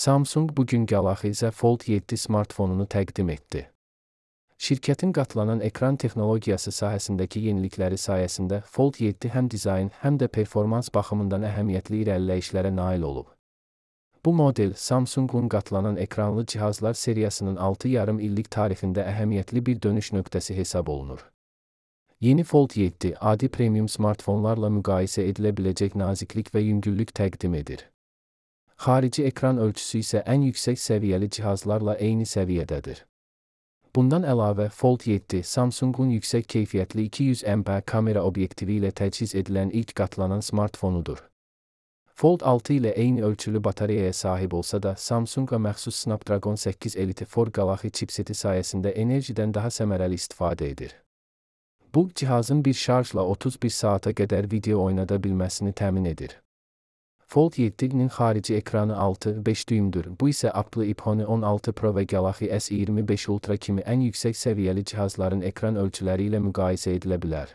Samsung bugün Galaxy Z Fold 7 smartfonunu təqdim etdi. Şirkətin qatlanan ekran texnologiyası sahəsindəki yenilikləri sayəsində Fold 7 həm dizayn, həm də performans baxımından əhəmiyyətli irəliləyişlərə nail olub. Bu model Samsungun qatlanan ekranlı cihazlar seriyasının 6,5 illik tarixində əhəmiyyətli bir dönüş nöqtəsi hesab olunur. Yeni Fold 7 adi premium smartfonlarla müqayisə edilə biləcək naziklik və yüngüllük təqdim edir. Xarici ekran ölçüsü isə ən yüksək səviyyəli cihazlarla eyni səviyyədədir. Bundan əlavə, Fold 7 Samsungun yüksək keyfiyyətli 200 MP kamera obyektivi ilə təchiz edilən ilk qatlanan smartfonudur. Fold 6 ilə eyni ölçülü batareyaya sahib olsa da, Samsunga məxsus Snapdragon 8 Elite 4 Galaxy chipseti sayəsində enerjidən daha səmərəli istifadə edir. Bu, cihazın bir şarjla 31 saata qədər video oynada bilməsini təmin edir. Fold 7'nin xarici ekranı 6,5 düymdür. Bu isə Apple iPhone 16 Pro və Galaxy S25 Ultra kimi ən yüksək səviyyəli cihazların ekran ölçüləri ilə müqayisə edilə bilər.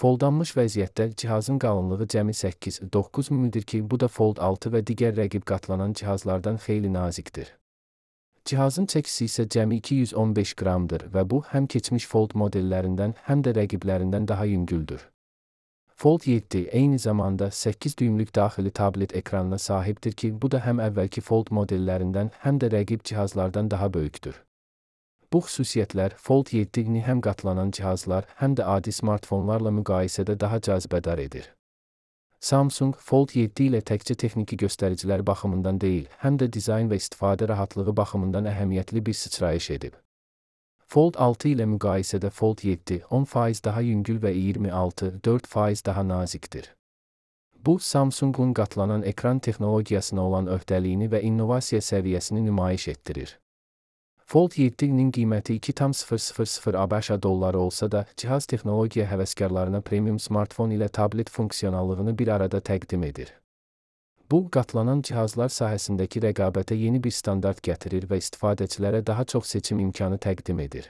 Foldanmış vəziyyətdə cihazın qalınlığı cəmi 8-9 mm'dir ki, bu da Fold 6 və digər rəqib qatlanan cihazlardan xeyli nazikdir. Cihazın çəkisi isə cəmi 215 qramdır və bu, həm keçmiş Fold modellərindən, həm də rəqiblərindən daha yüngüldür. Fold 7 eyni zamanda 8 düymlük daxili tablet ekranına sahibdir ki, bu da həm əvvəlki Fold modellərindən, həm də rəqib cihazlardan daha böyükdür. Bu xüsusiyyətlər Fold 7'ni həm qatlanan cihazlar, həm də adi smartfonlarla müqayisədə daha cazibədar edir. Samsung, Fold 7 ilə təkcə texniki göstəricilər baxımından deyil, həm də dizayn və istifadə rahatlığı baxımından əhəmiyyətli bir sıçrayış edib. Fold 6 ilə müqayisədə Fold 7 10% daha yüngül və 26-4% daha nazikdir. Bu, Samsungun qatlanan ekran texnologiyasına olan öhdəliyini və innovasiya səviyyəsini nümayiş etdirir. Fold 7'nin qiyməti 2,000 ABŞ dolları olsa da, cihaz texnologiya həvəskarlarına premium smartfon ilə tablet funksionallığını bir arada təqdim edir. Bu, qatlanan cihazlar sahəsindəki rəqabətə yeni bir standart gətirir və istifadəçilərə daha çox seçim imkanı təqdim edir.